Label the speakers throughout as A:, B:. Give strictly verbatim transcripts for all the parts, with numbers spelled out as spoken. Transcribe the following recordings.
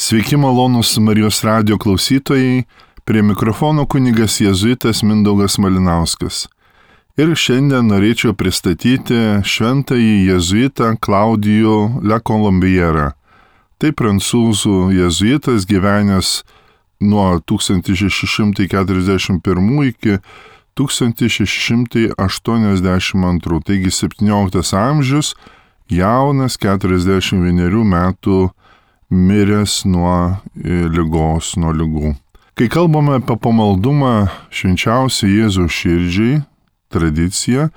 A: Sveiki malonūs Marijos radijo klausytojai, prie mikrofono kunigas jėzuitas Mindaugas Malinauskas. Ir šiandien norėčiau pristatyti šventąjį jėzuitą Klaudijų Le Colombierą. Tai prancūzų jėzuitas gyvenęs nuo tūkstantis šeši šimtai keturiasdešimt pirmų iki tūkstantis šeši šimtai aštuoniasdešimt antrų, taigi septynioliktas amžius, jaunas keturiasdešimt vienerių metų miręs nuo ligos, nuo ligų. Kai kalbame apie pamaldumą švenčiausiai Jėzaus širdžiai, tradiciją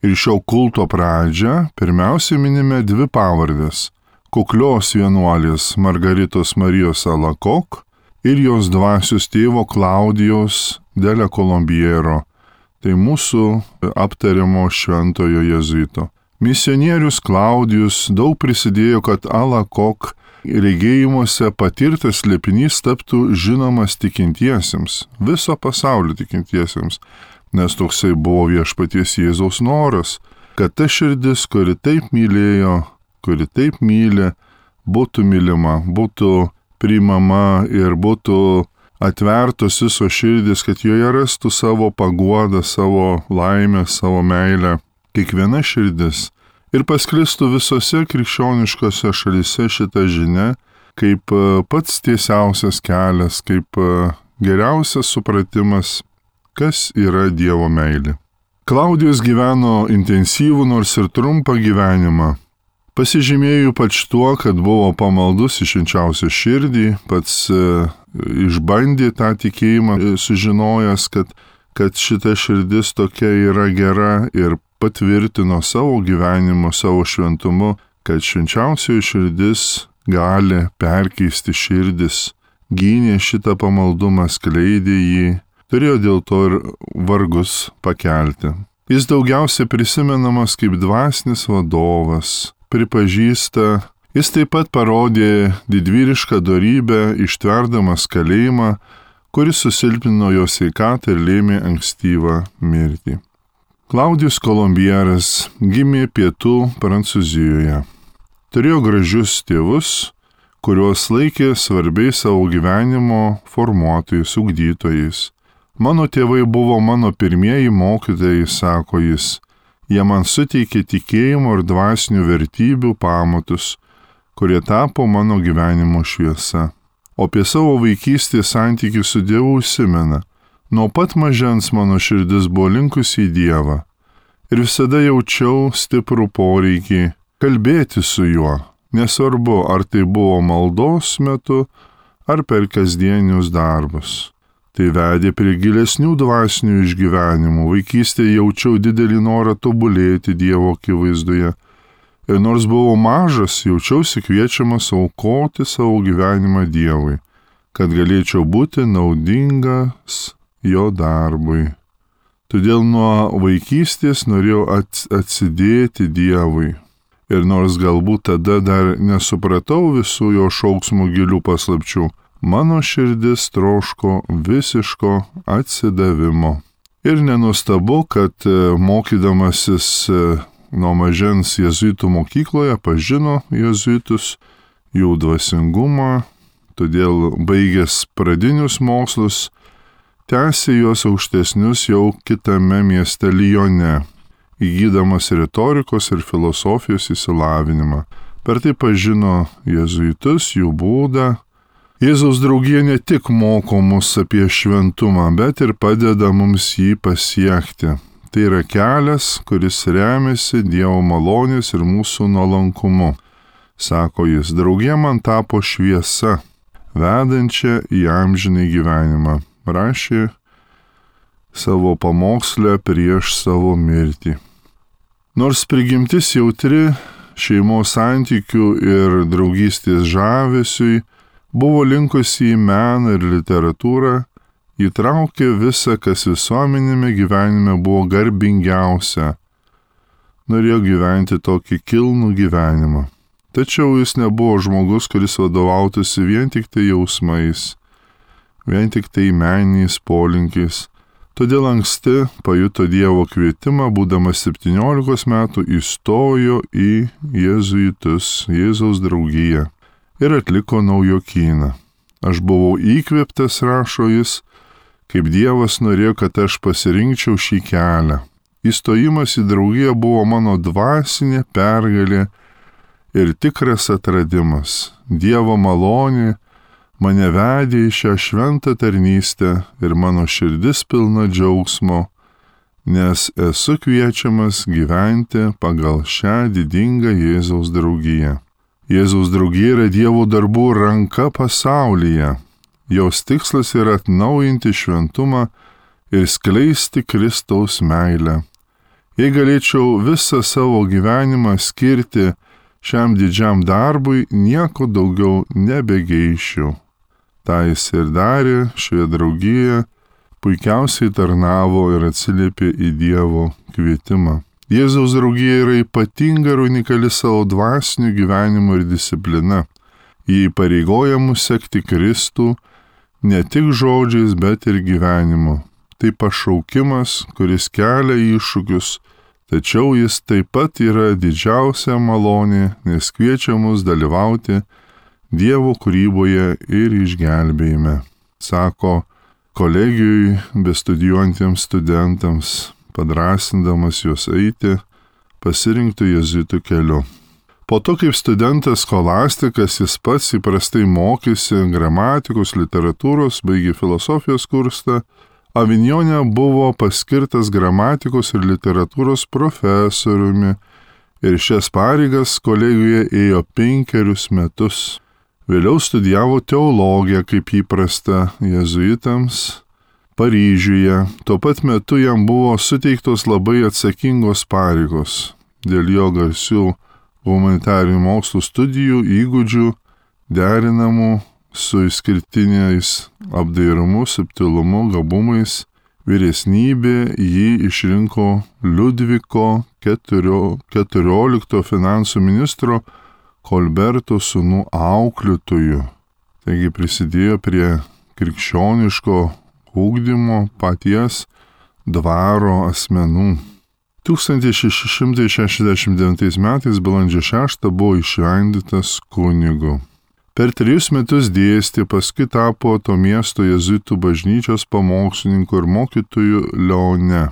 A: ir šio kulto pradžią, pirmiausia minime dvi pavardės - kuklios vienuolės Margaritos Marijos Alacoque ir jos dvasios tėvo Klaudijaus de Le Colombiero. Tai mūsų aptariamo šventojo jėzuito. Misionierius Klaudijus daug prisidėjo, kad Alacoque regėjimuose patirtas slėpinys taptų žinomas tikintiesiems, viso pasaulio tikintiesiems, nes toksai buvo viešpaties Jėzaus noras, kad ta širdis, kuri taip mylėjo, kuri taip myli, būtų mylima, būtų priimama ir būtų atvertos visos širdis, kad joje rastų savo paguodą, savo laimę, savo meilę. Kiekviena širdis. Ir pasklistų visose krikščioniškose šalyse šitą žinią, kaip pats tiesiausias kelias, kaip geriausias supratimas, kas yra Dievo meilė. Klaudijus gyveno intensyvų, nors ir trumpą gyvenimą. Pasižymėjo ypač tuo, kad buvo pamaldus į švenčiausią širdį, pats e, išbandė tą tikėjimą, sužinojęs, kad, kad šita širdis tokia yra gera ir patvirtino savo gyvenimu, savo šventumu, kad švenčiausioji širdis gali perkeisti širdis, gynė šitą pamaldumą, skleidė jį, turėjo dėl to ir vargus pakelti. Jis daugiausiai prisimenamas kaip dvasinis vadovas, pripažįsta, jis taip pat parodė didvyrišką dorybę, ištverdamas kalėjimą, kuris susilpnino jo sveikatą ir lėmė ankstyvą mirtį. Klaudijus Kolombieras gimė pietų Prancūzijoje. Turėjo gražius tėvus, kuriuos laikė svarbiais savo gyvenimo formuotojais, ugdytojais. Mano tėvai buvo mano pirmieji mokytojai, sako jis. Jie man suteikė tikėjimo ir dvasinių vertybių pamatus, kurie tapo mano gyvenimo šviesa. O apie savo vaikystės santykį su Dievu užsimena. Nuo pat mažens mano širdis buvo linkusi į Dievą ir visada jaučiau stiprų poreikį kalbėti su juo, nesvarbu, ar tai buvo maldos metu, ar per kasdienius darbus. Tai vedė prie gilesnių dvasinių išgyvenimų, vaikystėje jaučiau didelį norą tobulėti Dievo akivaizdoje. Ir nors buvau mažas, jaučiausi kviečiamas aukoti savo gyvenimą Dievui, kad galėčiau būti naudingas jo darbui. Todėl nuo vaikystės norėjau atsidėti Dievui. Ir nors galbūt tada dar nesupratau visų jo šauksmų gilių paslapčių, mano širdis troško visiško atsidavimo. Ir nenuostabu, kad mokydamasis nuo mažens jėzuitų mokykloje pažino jėzuitus, jų dvasingumą, todėl baigęs pradinius mokslus, tęsė juos aukštesnius jau kitame mieste Lyone, įgydamas retorikos ir filosofijos išsilavinimą. Per tai pažino jėzuitus, jų būdą. Jėzaus draugija ne tik moko mus apie šventumą, bet ir padeda mums jį pasiekti. Tai yra kelias, kuris remiasi Dievo malonės ir mūsų nuolankumu. Sako jis, draugija man tapo šviesa, vedančia į amžinį gyvenimą. Rašė savo pamokslę prieš savo mirtį. Nors prigimtis jautri šeimos santykių ir draugystės žavesiui, buvo linkusi į meną ir literatūrą, įtraukė visą, kas visuomenėme gyvenime buvo garbingiausia. Norėjo gyventi tokį kilnų gyvenimą. Tačiau jis nebuvo žmogus, kuris vadovautųsi vien tik tai jausmais, vien tik tai meniniais polinkiais. Todėl anksti pajuto Dievo kvietimą, būdamas septyniolikos metų įstojo į jėzuitus, Jėzaus draugiją. ir atliko naujokyną. Aš buvau įkvėptas, rašo jis, kaip Dievas norėjo, kad aš pasirinkčiau šį kelią. Įstojimas į draugiją buvo mano dvasinė pergalė ir tikras atradimas. Dievo malonė mane vedė į šią šventą tarnystę ir mano širdis pilna džiaugsmo, nes esu kviečiamas gyventi pagal šią didingą Jėzaus draugiją. Jėzaus draugija yra Dievo darbų ranka pasaulyje. Jos tikslas yra atnaujinti šventumą ir skleisti Kristaus meilę. Jei galėčiau visą savo gyvenimą skirti šiam didžiam darbui, nieko daugiau nebegeišiu. Ta jis ir darė šioje draugijoje, puikiausiai tarnavo ir atsiliepė į Dievo kvietimą. Jėzaus draugija yra ypatinga ir unikali savo dvasiniu gyvenimu ir disciplina. Jį įpareigoja mus sekti Kristų ne tik žodžiais, bet ir gyvenimu. Tai pašaukimas, kuris kelia iššūkius, tačiau jis taip pat yra didžiausia malonė, nes kviečia mus dalyvauti Dievo kūryboje ir išgelbėjime, sako kolegijui bestudijuojantiems studentams, padrasindamas juos eiti pasirinktų jėzuitų keliu. Po to, kaip studentas skolastikas, jis pats įprastai mokėsi gramatikos, literatūros, baigė filosofijos kursą, Avignone buvo paskirtas gramatikos ir literatūros profesoriumi ir šias pareigas kolegijoje ėjo penkerius metus. Vėliau studijavo teologiją, kaip įprasta jėzuitams, Paryžiuje. Tuo pat metu jam buvo suteiktos labai atsakingos pareigos dėl jo garsių humanitarinių mokslų studijų įgūdžių derinamų su išskirtiniais apdairumu, subtilumu, gabumais. Vyresnybė jį išrinko Liudviko keturioliktojo finansų ministro Kolberto sūnų auklėtojų. Taigi prisidėjo prie krikščioniško ugdymo paties dvaro asmenų. tūkstantis šeši šimtai šešiasdešimt devintais metais balandžio šeštą buvo įšventintas kunigu. Per trejus metus dėstė, paskui tapo to miesto jėzuitų bažnyčios pamokslininku ir mokytoju Leone.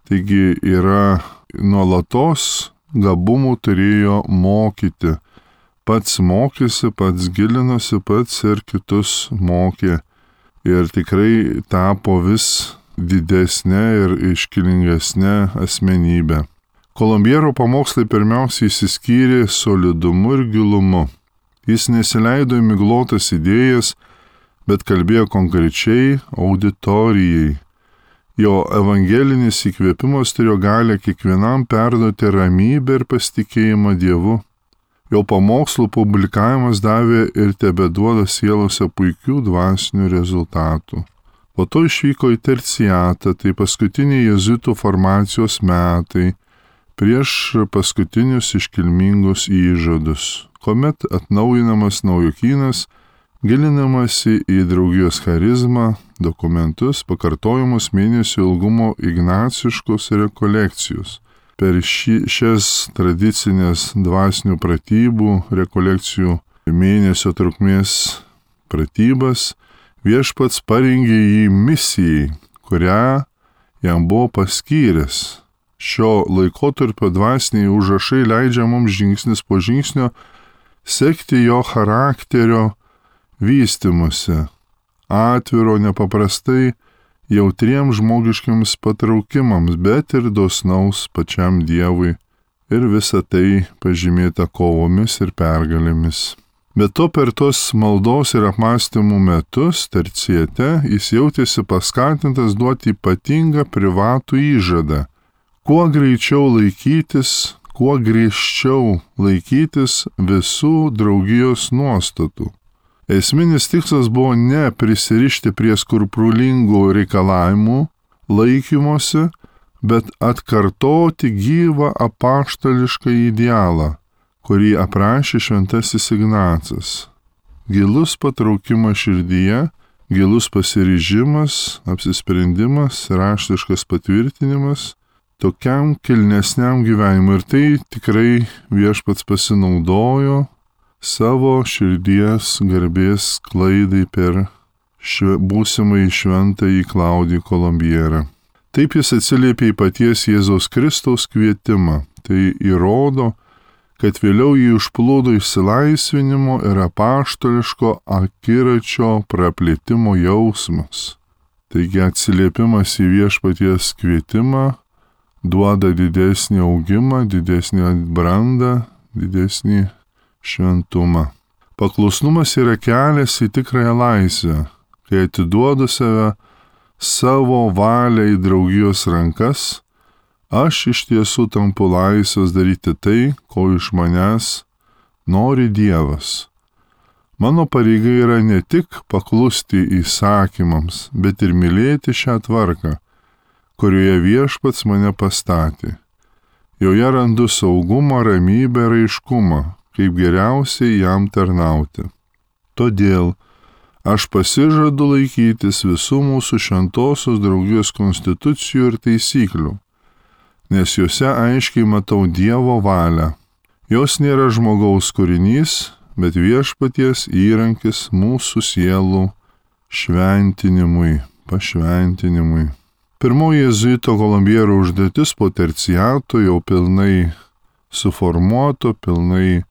A: Taigi yra nuolatos gabumų turėjo mokyti. Pats mokėsi, pats gilinosi, pats ir kitus mokė. Ir tikrai tapo vis didesnė ir iškilingesnė asmenybė. Kolombiero pamokslai pirmiausiai išsiskyrė solidumu ir gilumu. Jis nesileido į miglotas idėjas, bet kalbėjo konkrečiai auditorijai. Jo evangelinis įkvėpimas turėjo galę kiekvienam perduoti ramybę ir pasitikėjimą Dievu. Jo pamokslų publikavimas davė ir tebeduoda sielose puikių dvasinių rezultatų. Po to išvyko į terciatą, tai paskutiniai jėzuitų formacijos metai, prieš paskutinius iškilmingus įžadus, kuomet atnaujinamas naujokynas, gilinamasi į draugijos charizmą, dokumentus, pakartojimus mėnesio ilgumo ignaciškos rekolekcijos. Per ši, šias tradicinės dvasinių pratybų, rekolekcijų mėnesio trukmės pratybas viešpats parengė jį misijai, kurią jam buvo paskyręs. Šio laikotarpio dvasiniai užrašai leidžia mums žingsnis po žingsnio sekti jo charakterio vystymuose, atviro nepaprastai jautriems žmogiškiams patraukimams, bet ir dosnaus pačiam Dievui, ir visa tai pažymėta kovomis ir pergalėmis. Bet to per tos maldos ir apmąstymų metus terciate jis jautėsi paskatintas duoti ypatingą privatų įžadą, kuo greičiau laikytis, kuo griežčiau laikytis visų draugijos nuostatų. Esminis tikslas buvo ne prisirišti prie skrupulingų reikalavimų laikymosi, bet atkartoti gyvą apaštališką idealą, kurį aprašė šventasis Ignacas. Gilus patraukimas širdyje, gilus pasiryžimas, apsisprendimas, raštiškas patvirtinimas tokiam kilnesniam gyvenimui. Ir tai tikrai viešpats pasinaudojo savo širdies garbės klaidai per šve, būsimai šventąjį Klaudijų Kolumbierą. Taip jis atsiliepė į paties Jėzaus Kristaus kvietimą. Tai įrodo, kad vėliau jį užplūdo išsilaisvinimo ir apaštališko akiračio praplėtimo jausmas. Taigi atsiliepimas į viešpaties kvietimą duoda didesnį augimą, didesnį brandą, didesnį šventumą. Paklusnumas yra kelias į tikrąją laisvę, kai atiduodu save savo valią į draugijos rankas, aš iš tiesų tampu laisvas daryti tai, ko iš manęs nori Dievas. Mano pareiga yra ne tik paklusti įsakymams, bet ir mylėti šią tvarką, kurioje viešpats mane pastatė. Joje randu saugumą, ramybę ir aiškumą, kaip geriausiai jam tarnauti. Todėl aš pasižadu laikytis visų mūsų šventosios draugijos konstitucijų ir taisyklių, nes juose aiškiai matau Dievo valią. Jos nėra žmogaus kūrinys, bet viešpaties įrankis mūsų sielų šventinimui, pašventinimui. Pirmoji jėzuito Kolumbiero užduotis po terciato jau pilnai suformuoto, pilnai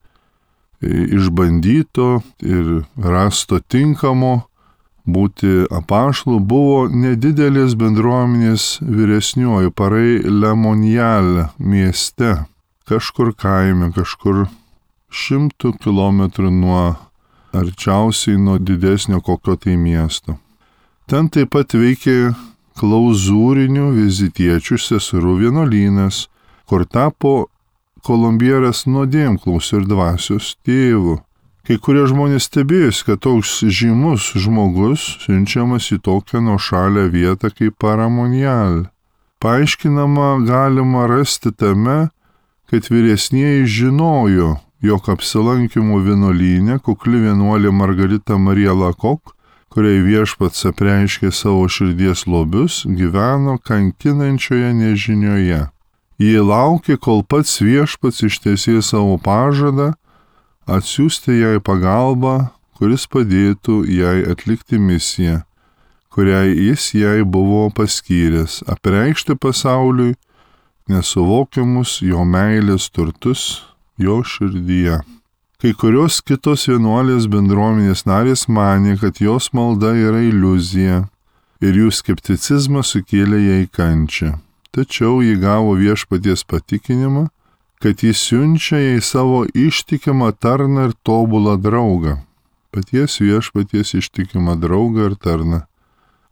A: išbandyto ir rasto tinkamo būti apaštalu buvo nedidelės bendruomenės vyresnioji Parai Lemonjal mieste, kažkur kaime, kažkur šimtų kilometrų nuo arčiausiai nuo didesnio kokio tai miesto. Ten taip pat veikė klauzūrinių vizitiečių seserų vienuolynas, kur tapo Kolumbieras nuodėmklausiu ir dvasios tėvu. Kai kurie žmonės stebėjosi, kad toks žymus žmogus siunčiamas į tokią nuošalę vietą kaip Paramonjal. Paaiškinama galima rasti tame, kad vyresnieji žinojo, jog apsilankymų vienuolyne kukli vienuolė Margarita Marija Lakok, kuriai viešpats apreiškė savo širdies lobius, gyveno kankinančioje nežinioje. Jie laukė, kol pats viešpats ištiesė savo pažadą atsiųsti jai pagalbą, kuris padėtų jai atlikti misiją, kuriai jis jai buvo paskyręs, apreikšti pasauliui nesuvokiamus jo meilės turtus jo širdyje. Kai kurios kitos vienuolės bendruomenės narės manė, kad jos malda yra iliuzija ir jų skepticizmas sukėlė jai kančią. Tačiau ji gavo viešpaties patikinimą, kad jis siunčia jai savo ištikimą tarną ir tobulą draugą. Paties viešpaties ištikimą draugą ir tarną.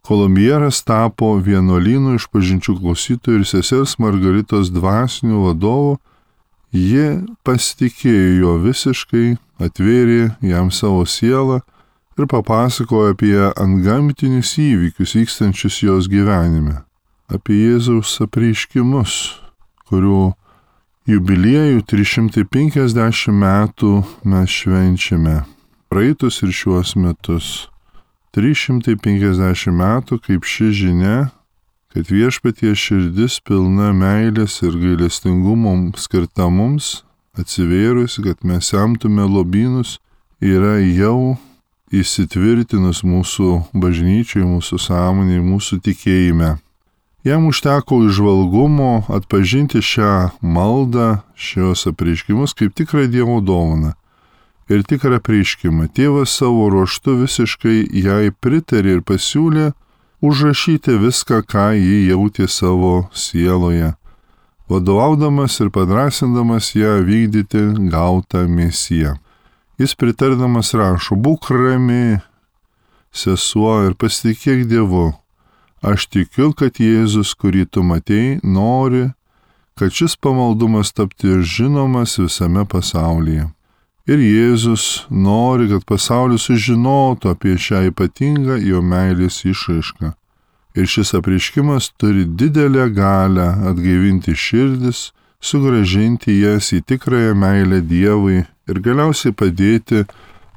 A: Kolumbieras tapo vienuolynų išpažinčių klausytojų ir sesers Margaritos dvasinių vadovų. Ji pasitikėjo jo visiškai, atvėrė jam savo sielą ir papasakojo apie antgamtinius įvykius vykstančius jos gyvenime, apie Jėzaus apreiškimus, kurių jubiliejų trys šimtai penkiasdešimt metų mes švenčiame, praeitus ir šiuos metus. trys šimtai penkiasdešimt metų, kaip ši žinia, kad viešpaties širdis pilna meilės ir gailestingumo skirta mums, atsivėrusi, kad mes semtume lobynus, yra jau įsitvirtinus mūsų bažnyčiai, mūsų sąmonėje, mūsų tikėjime. Jam užteko įžvalgumo atpažinti šią maldą, šios apreiškimus kaip tikrą Dievo dovaną ir tikrą apreiškimą. Tėvas savo ruožtu visiškai jai pritarė ir pasiūlė užrašyti viską, ką ji jautė savo sieloje, vadovaudamas ir padrasindamas ją vykdyti gautą misiją. Jis pritardamas rašo: būk rami, sesuo, ir pasitikėk Dievu. Aš tikiu, kad Jėzus, kurį tu matei, nori, kad šis pamaldumas tapti žinomas visame pasaulyje. Ir Jėzus nori, kad pasaulis sužinotų apie šią ypatingą jo meilės išraišką. Ir šis apreiškimas turi didelę galią atgaivinti širdis, sugrąžinti jas į tikrąją meilę Dievui ir galiausiai padėti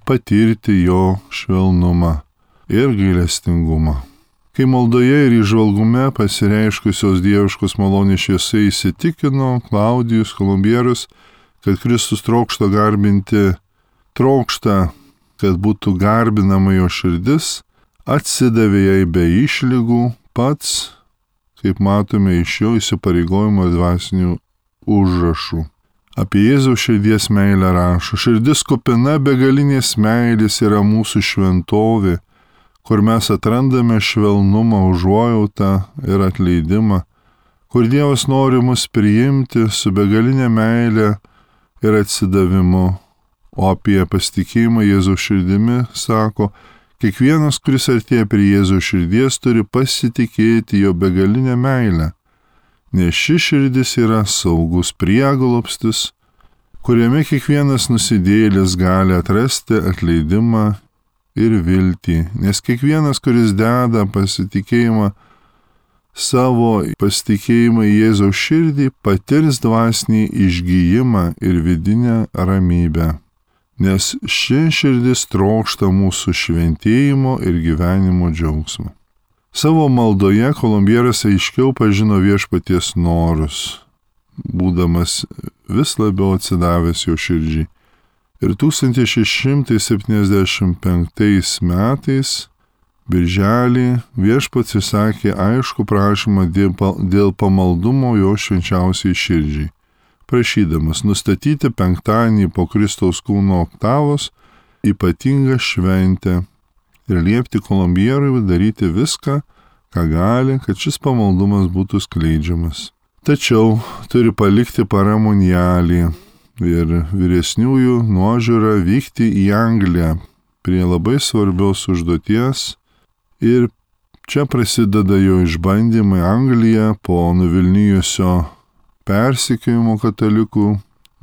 A: patirti jo švelnumą ir gailestingumą. Kai maldoje ir įžvalgume pasireiškusios dieviškos malonės šviesa įsitikino Klaudijus Kolumbieras, kad Kristus trokšta garbinti trokšta, kad būtų garbinama jo širdis, atsidavė jai be išlygų, pats, kaip matome iš jo įsipareigojimo dvasinių užrašų. Apie Jėzaus širdies meilę rašo: širdis kupina begalinės meilės yra mūsų šventovė, kur mes atrandame švelnumą, užuojautą ir atleidimą, kur Dievas nori mus priimti su begalinė meilė ir atsidavimu. O apie pasitikėjimą Jėzaus širdimi sako: kiekvienas, kuris artėja prie Jėzaus širdies, turi pasitikėti jo begalinę meilę, nes ši širdis yra saugus prieglobstis, kuriame kiekvienas nusidėjėlis gali atrasti atleidimą ir viltį, nes kiekvienas, kuris deda pasitikėjimą savo pasitikėjimą į Jėzaus širdį, patirs dvasinį išgijimą ir vidinę ramybę, nes ši širdis trokšta mūsų šventėjimo ir gyvenimo džiaugsmo. Savo maldoje Kolumbieras aiškiau pažino viešpaties norus, būdamas vis labiau atsidavęs jo širdžiai. Ir tūkstantis šeši šimtai septyniasdešimt penktais metais, birželį, viešpats įsakė aišku prašymą dėl pamaldumo jo švenčiausiai širdžiai, prašydamas nustatyti penktadienį po Kristaus kūno oktavos ypatingą šventę ir liepti Kolumbierui daryti viską, ką gali, kad šis pamaldumas būtų skleidžiamas. Tačiau turi palikti paramonialį ir vyresniųjų nuožiūrą vykti į Angliją prie labai svarbios užduoties, ir čia prasideda jo išbandymai. Anglija po nuvilnijusio persekiojimo katalikų,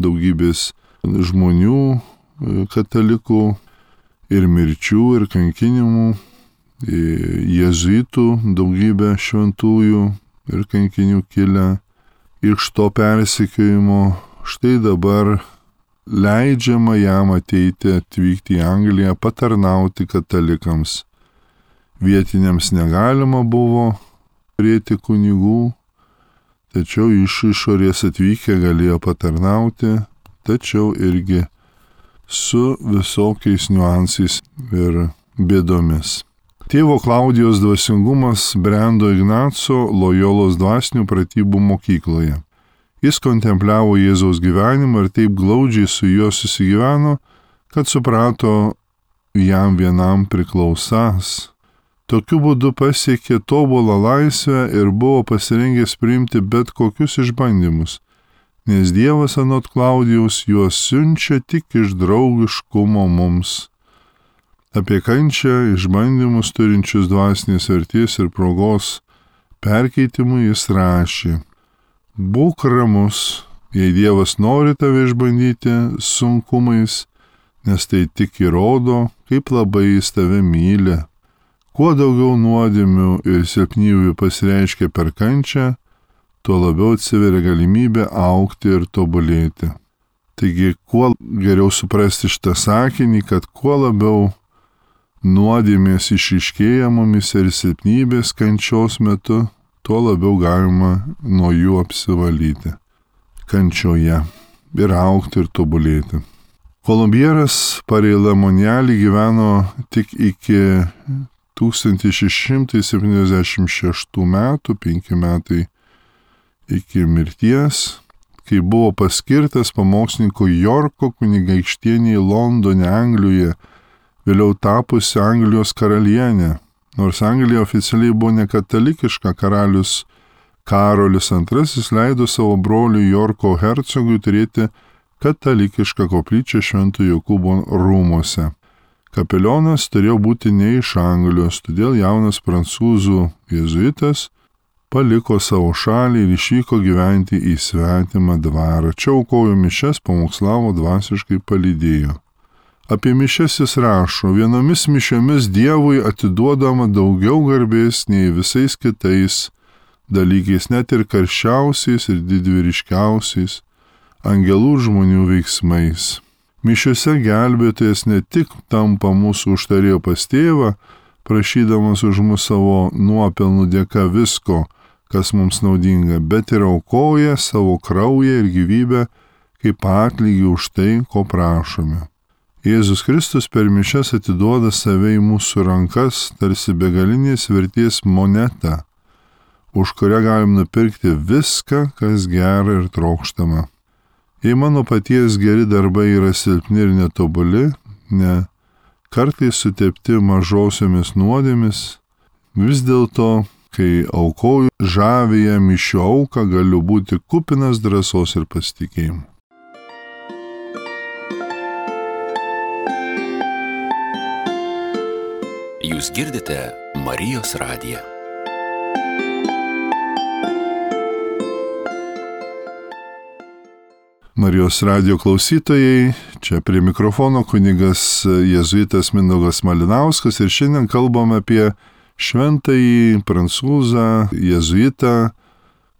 A: daugybės žmonių katalikų ir mirčių ir kankinimų, jėzuitų daugybė šventųjų ir kankinių kilę iš to persekiojimo. Štai dabar leidžiama jam ateiti, atvykti į Angliją, patarnauti katalikams. Vietiniams negalima buvo turėti kunigų, tačiau iš išorės atvykę galėjo patarnauti, tačiau irgi su visokiais niuansais ir bėdomis. Tėvo Klaudijos dvasingumas brendo Ignaco Lojolos dvasinių pratybų mokykloje. Jis kontempliavo Jėzaus gyvenimą ir taip glaudžiai su juo susigyveno, kad suprato jam vienam priklausas. Tokiu būdu pasiekė tobulą laisvę ir buvo pasirengęs priimti bet kokius išbandymus, nes Dievas anot Klaudijaus juos siunčia tik iš draugiškumo mums. Apie kančią, išbandymus turinčius dvasinės vertės ir progos perkeitimui jis rašė: būk ramus, jei Dievas nori tave išbandyti sunkumais, nes tai tik įrodo, kaip labai jis tave myli. Kuo daugiau nuodėmių ir silpnybių pasireiškia per kančią, tuo labiau atsiveria galimybė augti ir tobulėti. Taigi, kuo geriau suprasti šitą sakinį, kad kuo labiau nuodėmės išryškėja mumis ir silpnybės kančios metu, tuo labiau galima nuo jų apsivalyti kančioje ir augti ir tobulėti. Kolumbieras Pareilamonialį gyveno tik iki tūkstantis šeši šimtai septyniasdešimt šeštų metų, penki metai iki mirties, kai buvo paskirtas pamokslininku Jorko kunigaikštienei Londone, Anglijoje, vėliau tapusi Anglijos karalienė. Nors Anglija oficialiai buvo nekatalikiška, karalius Karolis antrasis leido savo broliui Jorko hercogui turėti katalikišką koplyčią Švento Jokūbo rūmuose. Kapelionas turėjo būti ne iš Anglijos, todėl jaunas prancūzų jėzuitas paliko savo šalį ir išvyko gyventi į svetimą dvarą. Čia aukojo mišias, pamokslavo, dvasiškai palydėjo. Apie mišias jis rašo: vienomis mišiomis Dievui atiduodama daugiau garbės nei visais kitais dalykais, net ir karščiausiais ir didvyriškiausiais angelų ir žmonių veiksmais. Mišiuose gelbėtojas ne tik tampa mūsų užtarėjo pas tėvą, prašydamas už mus savo nuopelnų dėka visko, kas mums naudinga, bet ir aukoja savo kraują ir gyvybę kaip atlygį už tai, ko prašome. Jėzus Kristus per mišias atiduoda save į mūsų rankas, tarsi begalinės vertės monetą, už kurią galim nupirkti viską, kas gera ir trokštama. Jei mano paties geri darbai yra silpni ir netobuli, ne kartais sutepti mažosiomis nuodėmis, vis dėlto, kai aukoju žavėje mišių auką, galiu būti kupinas drąsos ir pasitikėjimo.
B: Jūs girdite Marijos radiją.
A: Marijos radijo klausytojai, čia prie mikrofono kunigas jėzuitas Mindaugas Malinauskas ir šiandien kalbame apie šventąjį prancūzą jėzuitą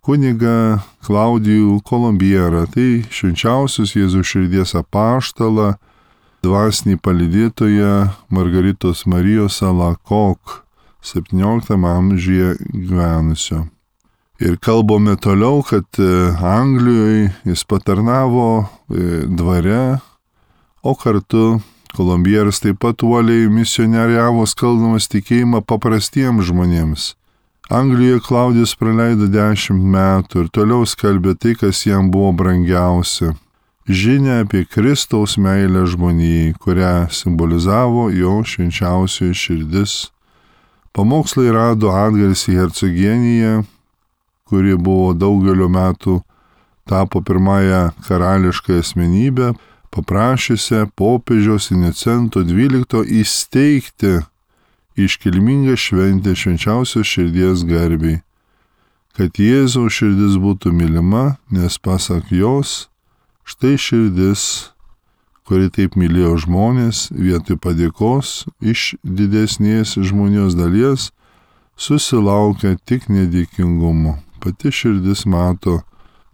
A: kunigą Klaudijų Kolombierą, tai švenčiausius Jėzaus širdies apaštalą, dvasinį palydėtoją Margaritos Marijos Alacoque septynioliktame amžiuje gyvenusio. Ir kalbame toliau, kad Anglijoje jis patarnavo dvare, o kartu Kolombieras taip pat uoliai misionieriavo skelbdamas tikėjimą paprastiems žmonėms. Anglijoje Klaudijus praleido dešimt metų ir toliau skelbė tai, kas jam buvo brangiausia. Žinia apie Kristaus meilę žmonijai, kurią simbolizavo jo švenčiausioji širdis. Pamokslai rado atgarsį Hercogienijoje, kuri buvo daugelio metų tapo pirmąją karališką asmenybę, paprašysią popiežiaus Inocento dvylikto įsteigti iškilmingą šventę švenčiausios širdies garbei, kad Jėzaus širdis būtų mylima, nes pasak jos, štai širdis, kuri taip mylėjo žmonės, vietoj padėkos iš didesnės žmonijos dalies, susilaukia tik nedėkingumo. Pati širdis mato,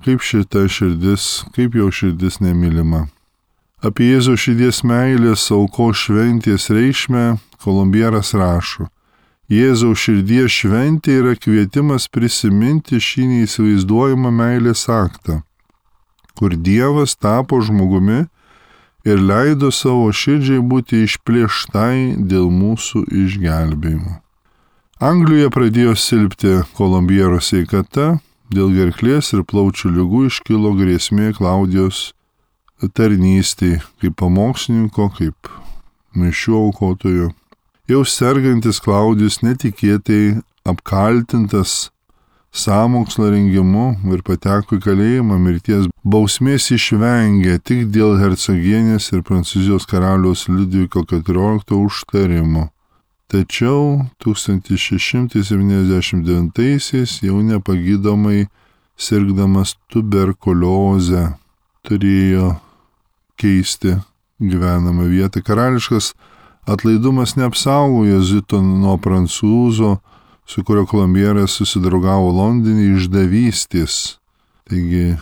A: kaip šita širdis, kaip jo širdis nemylima. Apie Jėzaus širdies meilės aukos šventės reikšmę Kolombieras rašo. Jėzaus širdies šventė yra kvietimas prisiminti šį neįsivaizduojamą meilės aktą, kur Dievas tapo žmogumi ir leido savo širdžiai būti išplėštai dėl mūsų išgelbėjimo. Anglijoje pradėjo silpti Kolombiero sveikata, dėl gerklės ir plaučių ligų iškilo grėsmė Klaudijos tarnystei kaip pamokslininko, kaip mišių aukotojo. Jau sergantis Klaudijus netikėtai apkaltintas sąmokslo rengimu ir pateko į kalėjimą, mirties bausmės išvengė tik dėl hercogienės ir Prancūzijos karaliaus Liudviko keturioliktojo užtarimo. Tačiau tūkstantis šeši šimtai septyniasdešimt devintaisiais jau nepagydomai sirgdamas tuberkulioze turėjo keisti gyvenamą vietą. Karališkas atlaidumas neapsaugo jėzuito nuo prancūzo, su kurio Kolombieras susidraugavo Londone, išdavystės. Taigi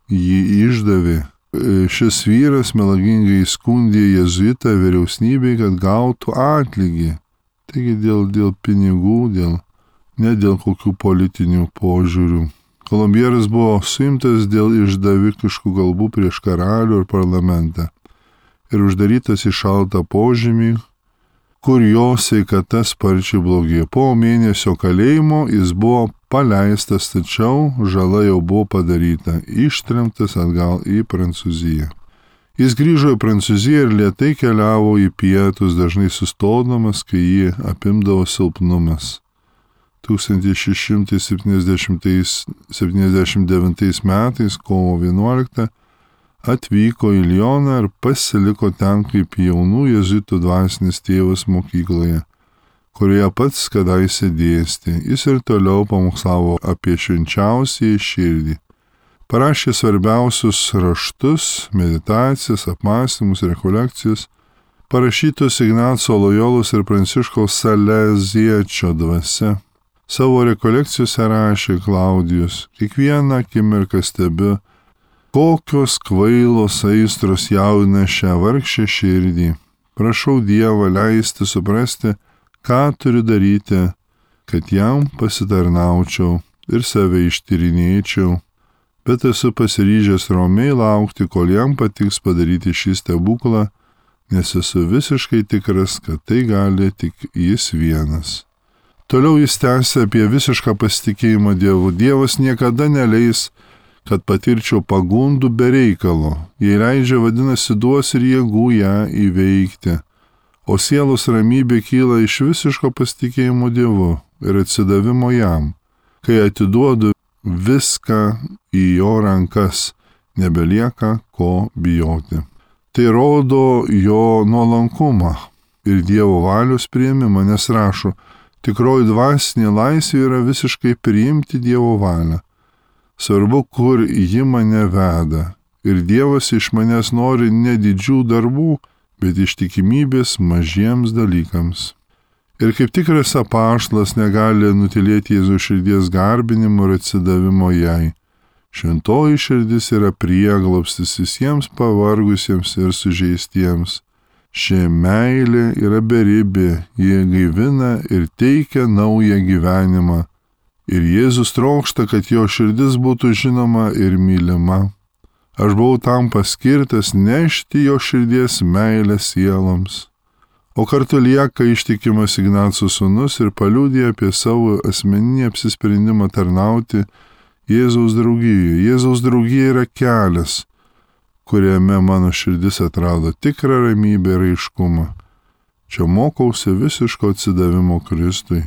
A: jį išdavė. Šis vyras melagingai skundė jėzuitą vyriausybei, kad gautų atlygį. Taigi dėl, dėl pinigų, dėl, ne dėl kokių politinių požiūrių. Kolombieras buvo suimtas dėl išdavikiškų kalbų prieš karalių ir parlamentą ir uždarytas į šaltą požemį, kur jo sveikata sparčiai blogėjo. Po mėnesio kalėjimo jis buvo paleistas, tačiau žala jau buvo padaryta, ištremtas atgal į Prancūziją. Jis grįžo į Prancūziją ir lėtai keliavo į pietus, dažnai sustodamas, kai jį apimdavo silpnumas. tūkstantis šeši šimtai septyniasdešimt devintais metais, kovo vienuoliktą, atvyko į Lioną ir pasiliko ten kaip jaunų jėzuitų dvasinis tėvas mokykloje, kurioje pats kadaise dėstė. Jis ir toliau pamokslavo apie švenčiausiąją širdį. Parašė svarbiausius raštus, meditacijas, apmąstymus, rekolekcijas, parašytus Ignaco Lojolos ir Pranciškaus Saleziečio dvasia. Savo rekolekcijose rašė Klaudijus: kiekvieną akimirką stebiu, kokios kvailos aistros jaudina šią vargšę širdį. Prašau Dievą leisti suprasti, ką turiu daryti, kad jam pasitarnaučiau ir save ištyrinėčiau, bet esu pasiryžęs ramiai laukti, kol jam patiks padaryti šį stebuklą, nes esu visiškai tikras, kad tai gali tik jis vienas. Toliau jis tęsia apie visišką pasitikėjimą Dievu. Dievas niekada neleis, kad patirčiau pagundų be reikalo. Jei leidžia, vadinasi, duos ir jėgų ją įveikti. O sielos ramybė kyla iš visiško pasitikėjimo Dievu ir atsidavimo jam. Kai atiduodu viską į jo rankas, nebelieka ko bijoti. Tai rodo jo nuolankumą ir Dievo valios priėmimą, nes rašo, tikroji dvasinė laisvė yra visiškai priimti Dievo valią. Svarbu, kur ji mane veda. Ir Dievas iš manęs nori ne didžių darbų, bet ištikimybės mažiems dalykams. Ir kaip tikras apaštalas negali nutylėti Jėzaus širdies garbinimo ir atsidavimo jai. Šventoji širdis yra prieglobstis visiems pavargusiems ir sužeistiems. Ši meilė yra beribė, jie gaivina ir teikia naują gyvenimą. Ir Jėzus trokšta, kad jo širdis būtų žinoma ir mylima. Aš buvau tam paskirtas nešti jo širdies meilę sieloms. O kartu lieka ištikimas Ignaco sūnus ir paliudija apie savo asmeninį apsisprendimą tarnauti Jėzaus draugijoje. Jėzaus draugija yra kelias, kuriame mano širdis atrado tikrą ramybę ir aiškumą. Čia mokausi visiško atsidavimo Kristui.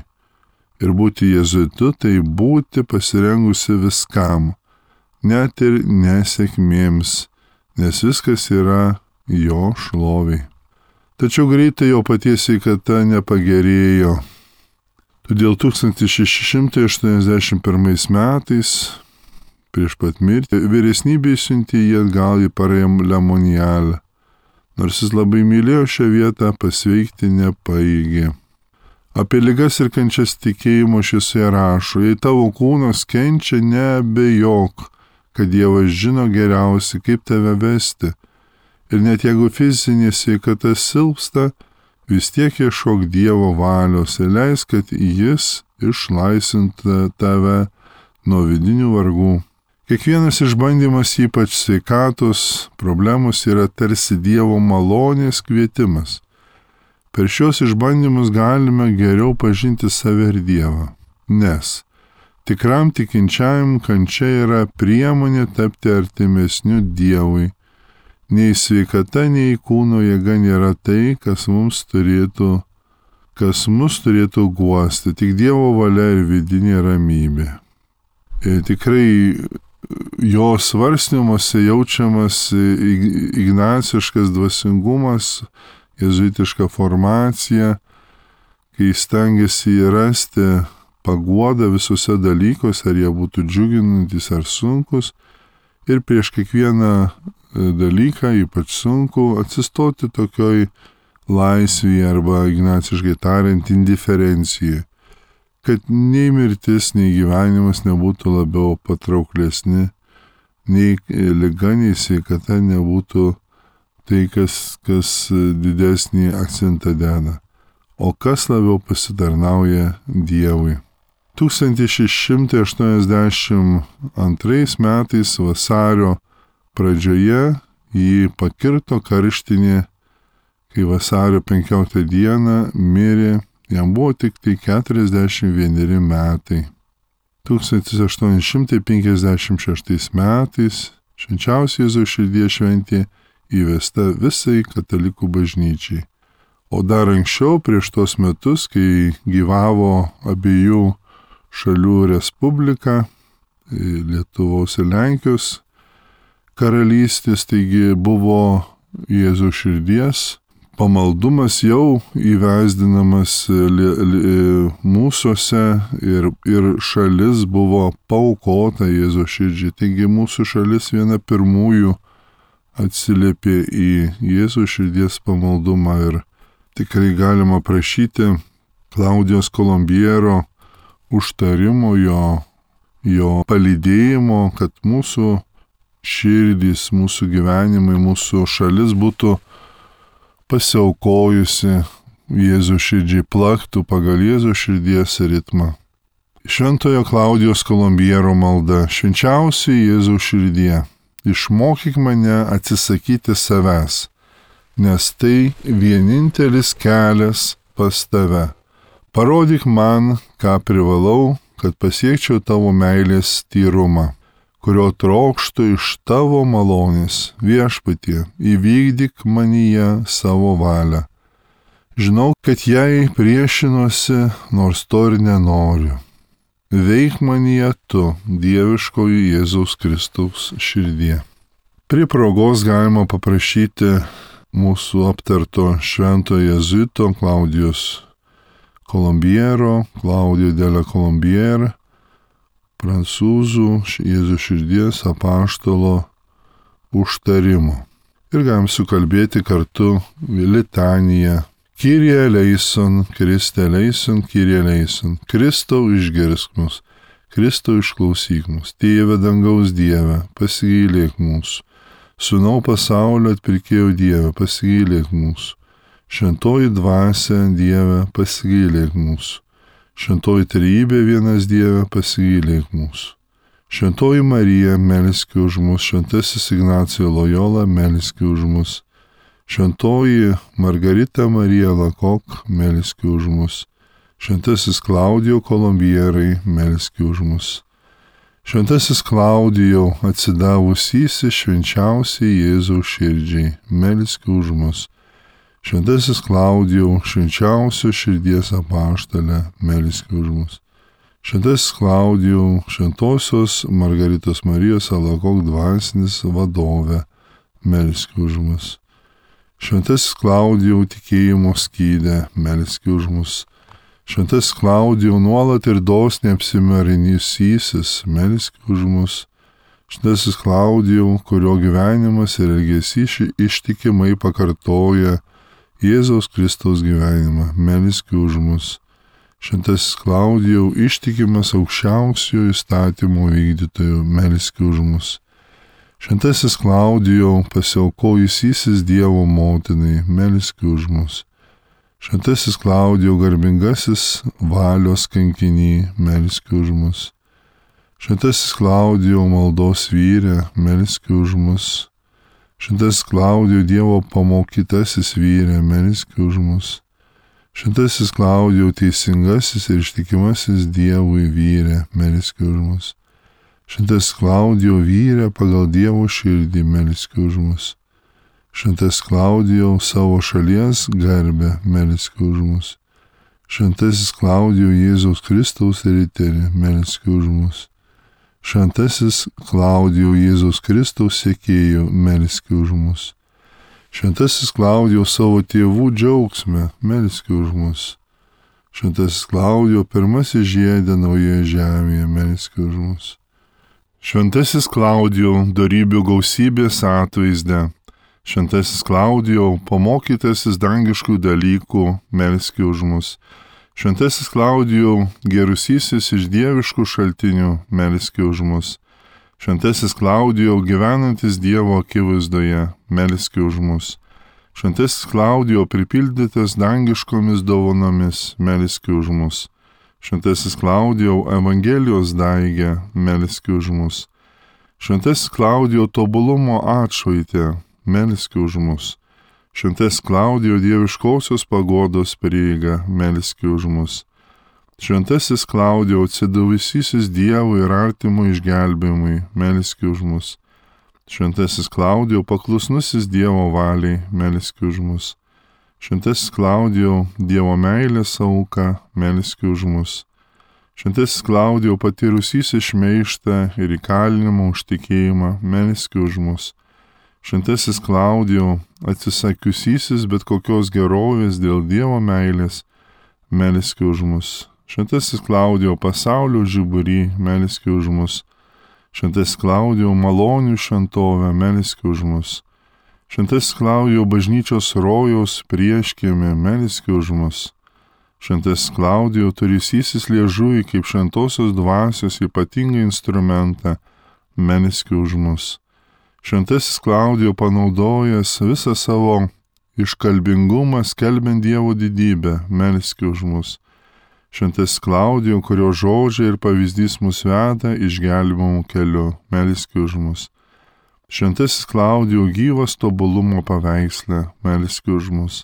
A: Ir būti jėzuitu tai būti pasirengusi viskam, net ir nesėkmėms, nes viskas yra jo šloviai. Tačiau greitai jo paties sveikata nepagerėjo. Todėl tūkstantis šeši šimtai aštuoniasdešimt pirmais metais, prieš pat mirtį, vyresnybė siuntė jį atgal į Palermoniją. Nors jis labai mylėjo šią vietą, pasveikti nepaeigė. Apie ligas ir kančias tikėjimo šviesoje rašo, jei tavo kūnas kenčia, neabejok, kad Dievas žino geriausiai, kaip tave vesti. Ir net jeigu fizinė sveikata silpsta, vis tiek ieškok Dievo valios ir leisk, kad jis išlaisvintų tave nuo vidinių vargų. Kiekvienas išbandymas, ypač sveikatos problemos, yra tarsi Dievo malonės kvietimas. Per šios išbandymus galime geriau pažinti save ir Dievą, nes tikram tikinčiajam kančia yra priemonė tapti artimesniu Dievui. Nei sveikata, nei kūno jėga nėra tai, kas mums turėtų, kas mus turėtų guosti, tik Dievo valia ir vidinė ramybė. Ir tikrai jo svarstymuose jaučiamas ignaciškas dvasingumas, jėzuitiška formacija, kai stengiasi rasti paguodą visuose dalykuose, ar jie būtų džiuginantys ar sunkus, ir prieš kiekvieną dalyką, ypač sunku, atsistoti tokioj laisvėje arba ignaciškai tariant indiferencijai, kad nei mirtis, nei gyvenimas nebūtų labiau patrauklesni, nei liga, nei sveikata nebūtų tai, kas, kas didesnį akcentą deda, o kas labiau pasitarnauja Dievui. tūkstantis šeši šimtai aštuoniasdešimt antrais metais vasario pradžioje jį pakirto karštinė, kai vasario penkioliktą dieną mirė, jam buvo tik tai keturiasdešimt vieneri metai. tūkstantis aštuoni šimtai penkiasdešimt šeštais metais švenčiausia Jėzaus širdies šventė įvesta visai katalikų bažnyčiai. O dar anksčiau, prieš tos metus, kai gyvavo abiejų šalių respublika, Lietuvos ir Lenkijos karalystės, taigi buvo Jėzaus širdies pamaldumas jau įvesdinamas mūsuose ir, ir šalis buvo paaukota Jėzaus širdžiai. Taigi mūsų šalis viena pirmųjų atsiliepė į Jėzaus širdies pamaldumą ir tikrai galima prašyti Klaudijos Kolombiero užtarimo, jo, jo palydėjimo, kad mūsų širdys, mūsų gyvenimai, mūsų šalis būtų pasiaukojusi Jėzaus širdžiai, plaktų pagal Jėzaus širdies ritmą. Šventojo Klaudijos Kolombiero malda: švenčiausioji Jėzaus širdie, išmokyk mane atsisakyti savęs, nes tai vienintelis kelias pas tave. Parodyk man, ką privalau, kad pasiekčiau tavo meilės tyrumą, kurio trokštu iš tavo malonės. Viešpatie, įvykdyk manyje savo valią. Žinau, kad jai priešinuosi, nors to ir nenoriu. Veik manyje tu, dieviškoji Jėzaus Kristaus širdie. Prie progos galima paprašyti mūsų aptarto švento jėzuito Klaudijos Kolombiero, Klaudijo de la Colombière, prancūzų Jėzaus širdies apaštalo užtarimo. Ir galim sukalbėti kartu litaniją. Kyrie eleison, Kriste eleison, Kyrie eleison. Kristau išgirsk mus, Kristau išklausyk mus. Tėve dangaus Dieve, pasigailėk mūsų. Sūnau pasaulio atpirkėjo Dieve, pasigailėk mūsų. Šventoji dvasia Dieve, pasigailėk mūsų. Šventoji trejybė vienas Dieve, pasigailėk mūsų. Šventoji Marija, melski už mus. Šventasis Ignacijo Lojola, melski už mus. Šventoji Margarita Marija Lakok, melski už mus. Šventasis Klaudijo Kolombierai, melski už mus. Šventasis Klaudijo, atsidavusysis švenčiausiai Jėzaus širdžiai, melski už mus. Šventasis Klaudijo, švenčiausio širdies apaštale, melski už mus. Šventasis Klaudijo, šventosios Margaritos Marijos Alakok dvasinis vadove, melski už mus. Šventasis Klaudijo, tikėjimo skydę, melski už mus. Šventasis Klaudijo, nuolat ir dosniai apsimarinysysis, melski už mus. Šventasis Klaudijo, kurio gyvenimas ir elgesys ištikimai pakartoja Jėzaus Kristaus gyvenimą, melski už mus. Šventasis Klaudijo, ištikimas aukščiausiojo įstatymo vykdytojo, melski už mus. Šventasis Klaudijo, pasiaukojusysis Dievo motinai, melski už mus. Šventasis Klaudijo, garbingasis valios kankinį, melski už mus. Šventasis Klaudijo, maldos vyre, melski už mus. Šventasis Klaudijo, Dievo pamokytasis vyre, melski už mus. Šventasis Klaudijo, teisingasis ir ištikimasis Dievui vyre, melski už mus. Šventasis Klaudijo, vyre pagal Dievo širdį, melski už mus. Šventasis Klaudijo, savo šalies garbę, melski už mus. Šventasis Klaudijo, Jėzaus Kristaus riteri, melski už mus. Šventasis Klaudijo, Jėzaus Kristaus sekėjų, melski už mus. Šventasis Klaudijo, savo tėvų džiaugsme, melski už mus. Šventasis Klaudijo, pirmasis žiedė naujoje žemėje, melski už mus. Šventasis Klaudijo, dorybių gausybės atvaizde. Šventasis Klaudijo, pamokytasis dangiškų dalykų, melski už mus. Šventasis Klaudijo, gerusysis iš dieviškų šaltinių, melski už mus. Šventasis Klaudijo, gyvenantis Dievo akivaizdoje, melski už mus. Šventasis Klaudijo, pripildytas dangiškomis dovanomis, melski už mus. Šventasis Klaudijo, Evangelijos daigė, melski už mus. Šventasis Klaudijo, tobulumo atšvaitė, melski už mus. Šventasis Klaudijo, dieviškosios pagodos prieiga, melski už mus. Šventasis Klaudijo, atsidavusysis Dievui ir artimo išgelbėjimui, melski už mus. Šventasis Klaudijo, paklusnusis Dievo valiai, melski už mus. Šventasis Klaudijo, Dievo meilės auka, melski už mus. Šventasis Klaudijo, patyrusysis šmeižtą ir įkalinimą už tikėjimą, melski už mus. Šventasis Klaudijo, atsisakiusysis bet kokios gerovės dėl Dievo meilės, melski už mus. Šventasis Klaudijo, pasaulio žiburį, melski už mus. Šventasis Klaudijo, malonių šventovę, melski už mus. Šventasis Klaudijo, bažnyčios rojaus prieškiemė, melski už mus. Šventasis Klaudijo, turysysis liežuvį kaip šventosios dvasios ypatingą instrumentą, melski už mus. Šventasis Klaudijo, panaudojęs visą savo iškalbingumą skelbiant Dievo didybę, melski už mus. Šventasis Klaudijo, kurio žodžiai ir pavyzdys mus veda išgelbėjimo keliu, melski už mus. Šventasis Klaudijau gyvas tobulumo paveikslė, melski už mus.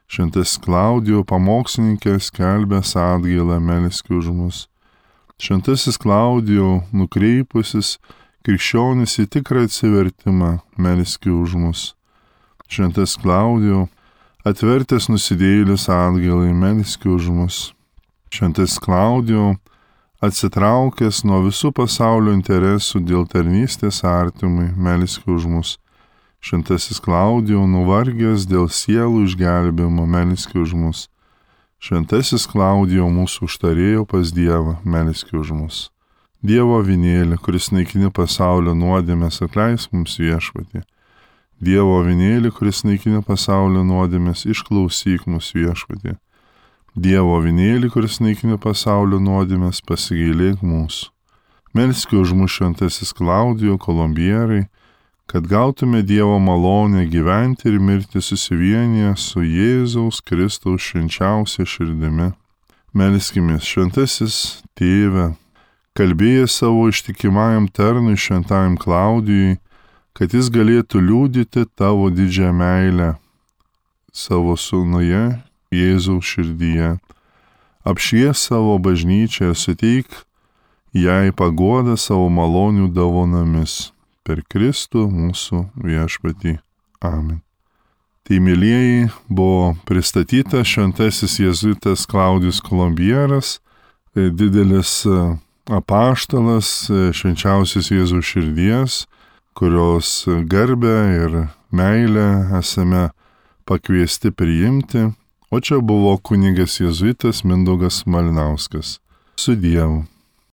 A: Šventasis Klaudijau pamokslininkė skelbęs atgailą, melski už mus. Šventasis Klaudijau nukreipusis krikščionis į tikrą atsivertimą, melski už mus. Šventasis Klaudijau atvertęs nusidėjėlius atgailai, melski už mus. Šventasis Klaudijau atsitraukęs nuo visų pasaulio interesų dėl tarnystės artimui, melski už mus. Šventasis Klaudijau nuvargęs dėl sielų išgelbėjimo, melski už mus. Šventasis Klaudijau mūsų užtarėjo pas Dievą, melski už mus. Dievo avinėli, kuris naikini pasaulio nuodėmės, atleisk mums Viešpatie. Dievo avinėli, kuris naikini pasaulio nuodėmės, išklausyk mus Viešpatie. Dievo avinėli, kuris naikini pasaulio nuodėmės, pasigailėk mūsų. Melski už mus Šventasis Klaudijau Kolumbierai, kad gautume Dievo malonę gyventi ir mirti susivienyje su Jėzaus Kristaus švenčiausia širdimi. Melskimės, Šventasis Tėve, kalbėjęs savo ištikimajam tarnui Šventajam Klaudijui, kad jis galėtų liudyti tavo didžią meilę savo sūnuje Jėzaus širdyje. Apšvies savo bažnyčią ir suteik jai paguodą savo malonių dovanomis. Per Kristų mūsų Viešpatį. Amen. Tai, mylieji, buvo pristatytas šventasis jėzuitas Klaudijus Kolumbieras, didelis apaštalas švenčiausios Jėzaus širdies, kurios garbę ir meilę esame pakviesti priimti, o čia buvo kunigas jėzuitas Mindaugas Malinauskas. Su Dievu.